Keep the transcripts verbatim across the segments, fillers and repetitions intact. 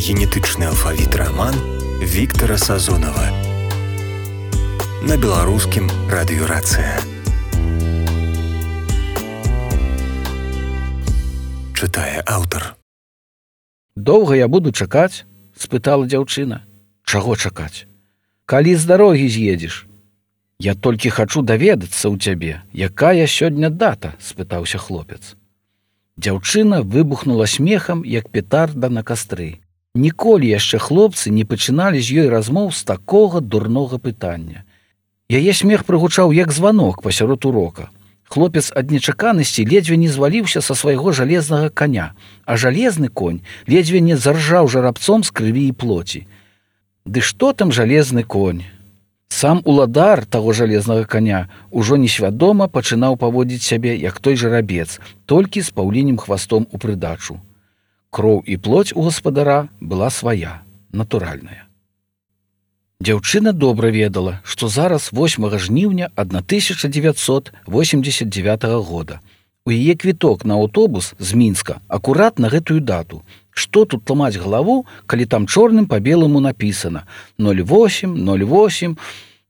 Генетычны алфавіт раман Віктара Сазонава на беларускім радыёрацыя. Чытае аўтар. Доўга я буду чакаць? Спытала дзяўчына. Чаго чакаць? Калі з дарогі з'едзеш? Я толькі хачу даведацца ў цябе, якая сёння дата? Спытаўся хлопец. Дзяўчына выбухнула смехам, як петарда на кастры. Ніколі яшчэ хлопцы не пачыналі з ёй размоў з такога дурнога пытання. Яе смех прыгучаў як званок пасярод урока. Хлопец ад нечаканасці ледзьве не зваліўся са свайго жалезнага коня, а жалезны конь ледзьве не заржаў жарабцом з крыві і плоці. Ды што там жалезны конь? Сам уладар таго жалезнага коня ужо несвядома пачынаў паводзіць сябе, як той жарабец, толькі з паўлінім хвастом у прыдачу. Кроў і плоць у гаспадара была свая, натуральная. Дзяўчына добра ведала, што зараз восьмага жніўня тысяча дзевяцьсот восемьдесят девятого года. У яе квіток на аўтобус з Мінска акурат на гэтую дату. Што тут ламаць галаву, калі там чорным па беламу напісана ноль восемь ноль восемь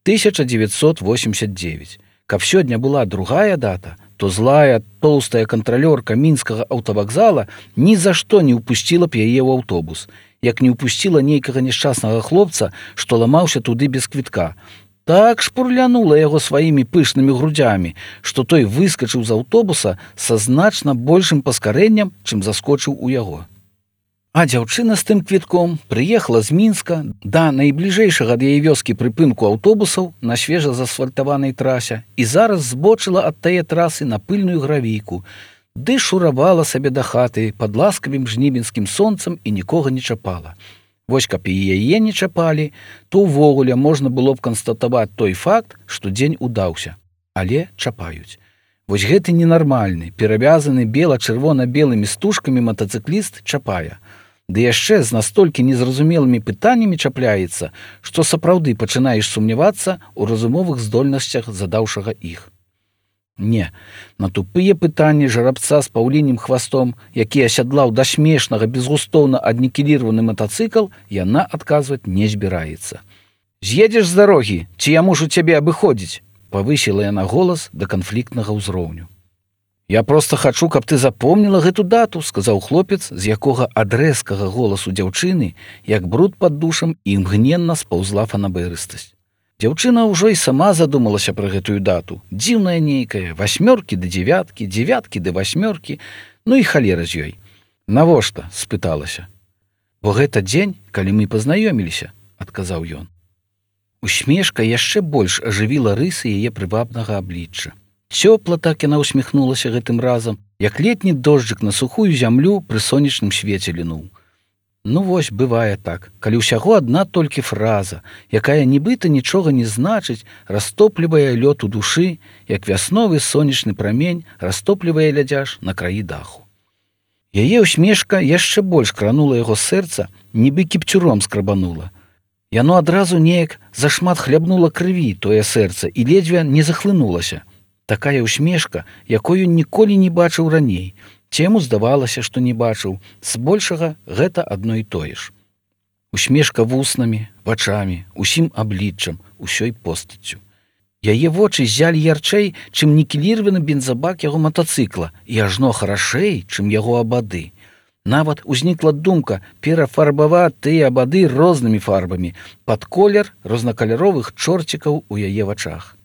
тысяча девятьсот восемьдесят девять. Каб сёння была другая дата, то злая, тоўстая кантралёрка мінскага аўтавакзала ні за што не ўпусціла б яе ў аўтобус, як не ўпусціла нейкага няшчаснага хлопца, што ламаўся туды без квітка. Так шпурлянула яго сваімі пышнымі грудзямі, што той выскачыў з аўтобуса са значна большым паскарэннем, чым заскочыў у яго. А дзяўчына з тым квітком прыехала з Мінска да найбліжэйшага ад яе вёскі прыпынку аўтобусаў на свежа заасфальтаванай трасе і зараз збочыла ад тае трасы на пыльную гравійку, ды шуравала сабе да хаты пад ласкавым жнівеньскім сонцам і нікога не чапала. Вось каб і яе не чапалі, то ўвогуле можна было б канстатаваць той факт, што дзень удаўся, але чапаюць. Вось гэты ненармальны, перавязаны бела-чырвона-белымі стужкамі матацыкліст чапае. Ды яшчэ з настолькі незразумелымі пытаннямі чапляецца, што сапраўды пачынаеш сумнявацца ў разумовых здольнасцях задаўшага іх. Не, на тупыя пытанні жарабца з паўлінім хвастом, які асядлаў да смешнага безгустоўна аднікіліраваны матацыкл, яна адказваць не збіраецца. «З'едзеш з дарогі, ці я мушу цябе абыходзіць?» Павысіла яна голас да канфліктнага ўзроўню. «Я проста хачу, каб ты запомніла гэту дату», сказаў хлопец, з якога ад рэзкага голасу дзяўчыны, як бруд пад душам, імгненна спаўзла фанабэрыстасць. Дзяўчына ўжо і сама задумалася пра гэтую дату. Дзіўная нейкая, васьмёркі да дзевяткі, дзевяткі да васьмёркі, ну і халера з ёй. «Навошта?» – спыталася. «Бо гэта дзень, калі мы пазнаёміліся», – адказаў ён. Усмешка яшчэ больш ажывіла рысы яе прывабнага аблічча. Цёпла так яна усміхнулася гэтым разам, як летні дожджык на сухую зямлю пры сонечным свеце лінуў. Ну вось, бывае так, калі ўсяго адна толькі фраза, якая нібыта нічога не значыць, растоплівае лёд у душы, як вясновы сонечны прамень растоплівае лядзяш на краі даху. Яе усмешка яшчэ больш кранула яго сэрца, нібы кіпцюром скрабанула. Яно адразу неяк зашмат хлябнула крыві тое сэрца і ледзьве не захлынулася. Такая усмешка, якую ніколі не бачыў раней. Ці яму здавалася, што не бачыў, збольшага гэта адно і тое ж. Усмешка вуснамі, вачамі, усім абліччам, усёй постаццю. Яе вочы ззялі ярчэй, чым нікеліраваны бензабак яго матацыкла, і ажно харашэй, чым яго абады. Нават узнікла думка перафарбаваць тыя абады рознымі фарбамі пад колер рознакаляровых чорцікаў у яе вачах.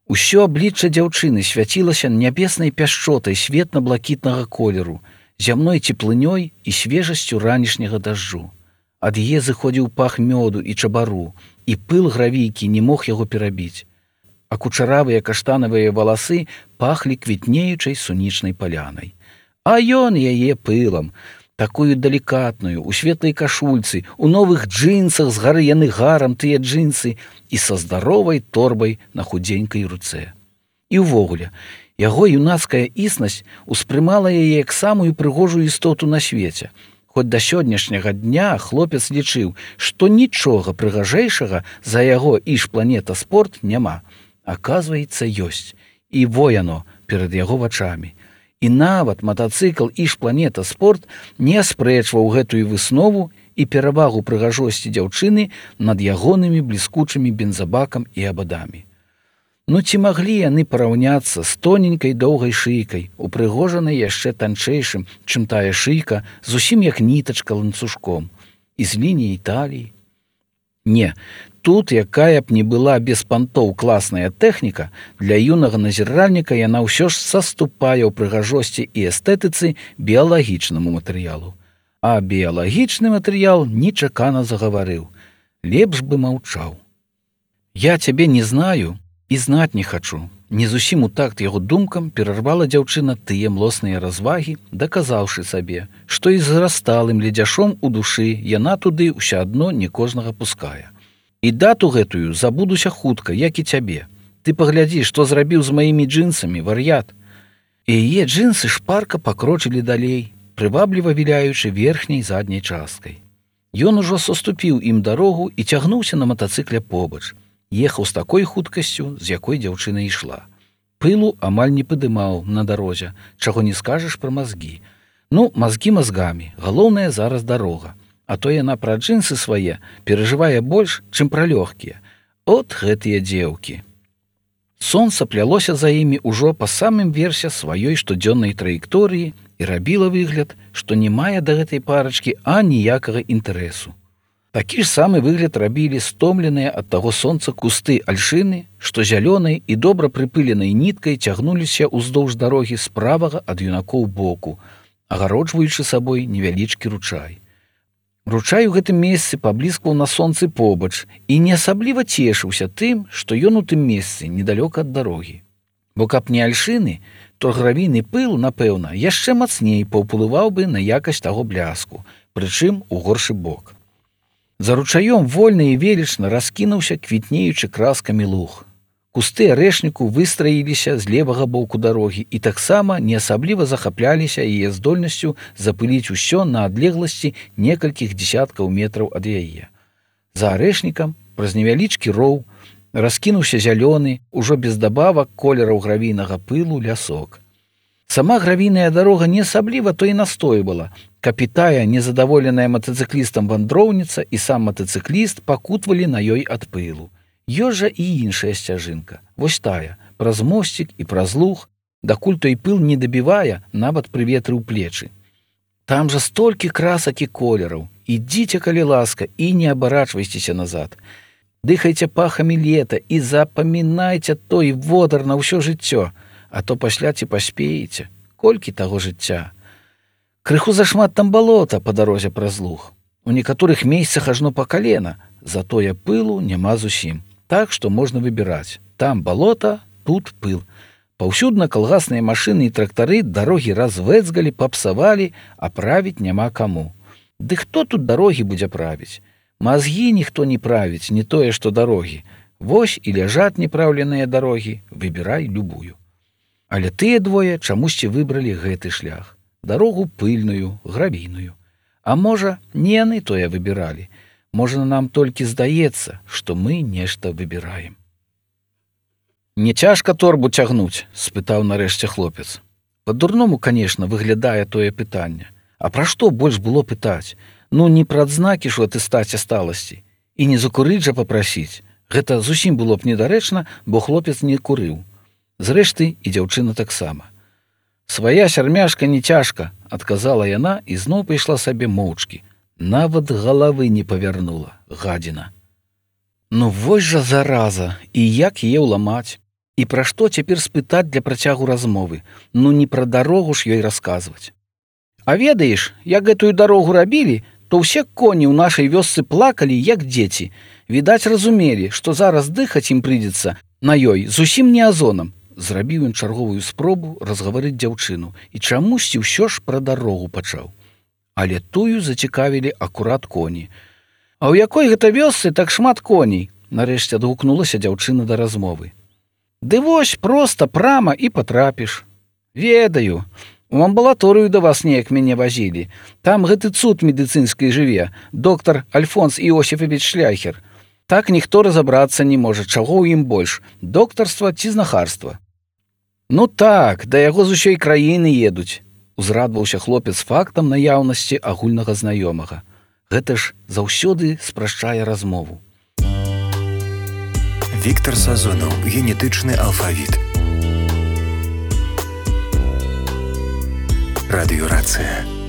Усё аблічча дзяўчыны свяцілася нябеснай пяшчотай светла-блакітнага колеру, зямной цеплынёй і свежасцю ранішняга дажджу. Ад яе зыходзіў пах мёду і чабару, і пыл гравійкі не мог яго перабіць. А кучаравыя каштанавыя валасы пахлі квітнеючай сунічнай палянай. А ён яе пылам, такую далікатную, у светлай кашульцы, у новых джинсах з гары яны гарам тыя джинсы і са здаровай торбай на худзенькай руцэ. І ўвогуле, яго юнацкая існасць успрымала яе як самую прыгожую істоту на свеце. Хоць да сённяшняга дня хлопец лічыў, што нічога прыгажэйшага за яго іж-планета спорт няма. Аказваецца, ёсць. І во яно перад яго вачамі. І нават матацыкл «Іж-планета спорт» не аспрэчваў гэтую выснову і перавагу прыгажосці дзяўчыны над ягонымі бліскучымі бензабакам і абадамі. Ну ці маглі яны параўняцца з тоненькай доўгай шыйкай, упрыгожанай яшчэ танчэйшым, чым тая шыйка, зусім як нітачка ланцужком, і з лініяй таліі? Не, тут, якая б не была без пантоў класная тэхніка, для юнага назіральніка яна ўсё ж саступае ў прыгажосці і эстэтыцы біялагічнаму матэрыялу. А біялагічны матэрыял нечакана загаварыў. Лепш бы маўчаў. Я цябе не знаю і знаць не хачу. Не зусім у такт яго думкам перарвала дзяўчына тыя млосныя развагі, даказаўшы сабе, што і з зрасталым ледзяшом у душы яна туды ўсё адно не кожнага пускае. І дату гэтую забудуся хутка, як і цябе. Ты паглядзі, што зрабіў з маімі джинсамі, вар'ят. І яе джинсы шпарка пакрочылі далей, прывабліва віляючы верхняй задняй часткай. Ён ужо саступіў ім дарогу і цягнуўся на матацыкле побач. Ехаў з такой хуткасцю, з якой дзяўчына ішла. Пылу амаль не падымаў на дарозе, чаго не скажаш пра мазгі. Ну, мазгі мазгамі, галоўнае зараз дарога. А то яна пра джинсы свае перажывае больш, чым пра лёгкія. От гэтыя дзеўкі. Сонца плялося за імі ўжо па самым версе сваёй штодзённай траекторыі і рабіла выгляд, што не мае да гэтай парачкі аніякага інтарэсу. Такі ж самы выгляд рабілі стомленыя ад таго сонца кусты альшыны, што зялёнай і добра прыпыленай ніткай цягнуліся ўздоўж дарогі з правага ад юнакоў боку, агароджваючы сабой невялічкі ручай. Ручай у гэтым месцы пабліскваў на сонцы побач і не асабліва цешыўся тым, што ён у тым месцы недалёка ад дарогі. Бо каб не альшыны, то гравійны пыл, напэўна, яшчэ мацней паўплываў бы на якасць таго бляску, прычым у горшы бок. За ручаём вольна і велічна раскінуўся квітнеючы краскамі луг. Кусты арэшніку выстраіліся з левага боку дарогі і таксама не асабліва захапляліся яе здольнасцю запыліць усё на адлегласці некалькіх дзесяткаў метраў ад яе. За арэшнікам, праз невялічкі роў, раскінуўся зялёны, ужо без дабавак колераў гравійнага пылу лясок. Сама гравійная дарога не асабліва то і настойвала, каб і тая незадаволеная матацыклістам вандроўніца і сам матацыкліст пакутвалі на ёй ад пылу. Ёсць жа і іншая сцяжынка, вось тая, праз мосцік і праз луг, дакуль той пыл не дабівае, нават пры ветры ў плечы. Там жа столькі красак і колераў, ідзіце, калі ласка, і не абарачвайцеся назад. Дыхайце пахамі лета і запамінайце той водар на ўсё жыццё, а то пасля ці паспееце, колькі таго жыцця. Крыху зашмат там балота па дарозе праз луг. У некаторых месцах ажно па калена, затое пылу няма зусім. Так што можна выбіраць. Там балота, тут пыл. Паўсюдна калгасныя машыны і трактары дарогі развэцгалі, папсавалі, а правіць няма каму. Ды хто тут дарогі будзе правіць? Мазгі ніхто не правіць, не тое, што дарогі. Вось і ляжаць непраўленыя дарогі, выбірай любую. Але тыя двое чамусьці выбралі гэты шлях. Дарогу пыльную, гравійную. А можа, не яны тое выбіралі. Можа, нам толькі здаецца, што мы нешта выбіраем. «Не цяжка торбу цягнуць?» – спытаў нарэшце хлопец. Па-дурному, канешне, выглядае тое пытанне. А пра што больш было пытаць? Ну, не пра адзнакі ж у атэстаце сталасці. І не закурыць жа папрасіць. Гэта зусім было б недарэчна, бо хлопец не курыў. Зрэшты, і дзяўчына таксама. «Свая сярмяшка не цяжка», – адказала яна і зноў пайшла сабе моўчкі. Нават галавы не павярнула, гадзіна. Ну вось жа зараза, і як яе ўламаць? І пра што цяпер спытаць для працягу размовы? Ну не пра дарогу ж ёй расказваць. А ведаеш, як гэтую дарогу рабілі, то ўсе коні ў нашай вёсцы плакалі, як дзеці. Відаць, разумелі, што зараз дыхаць ім прыйдзецца на ёй зусім не азонам. Зрабіў ён чарговую спробу разгаварыць дзяўчыну і чамусьці ўсё ж пра дарогу пачаў. Але тую зацікавілі акурат коні. «А ў якой гэта вёсцы так шмат коней?» Нарэшце адгукнулася дзяўчына да размовы. «Ды вось проста прама і патрапіш. Ведаю, у амбулаторыю да вас неяк мяне вазілі. Там гэты цуд медыцынскі жыве, доктар Альфонс Іосіфавіч Шляхер. Так ніхто разабрацца не можа, чаго ў ім больш, доктарства ці знахарства». «Ну так, да яго з усёй краіны едуць», – узрадваўся хлопец фактам наяўнасці агульнага знаёмага. Гэта ж заўсёды спрашчае размову. Віктар Сазонаў. Генетычны алфавіт. Радыёрацыя.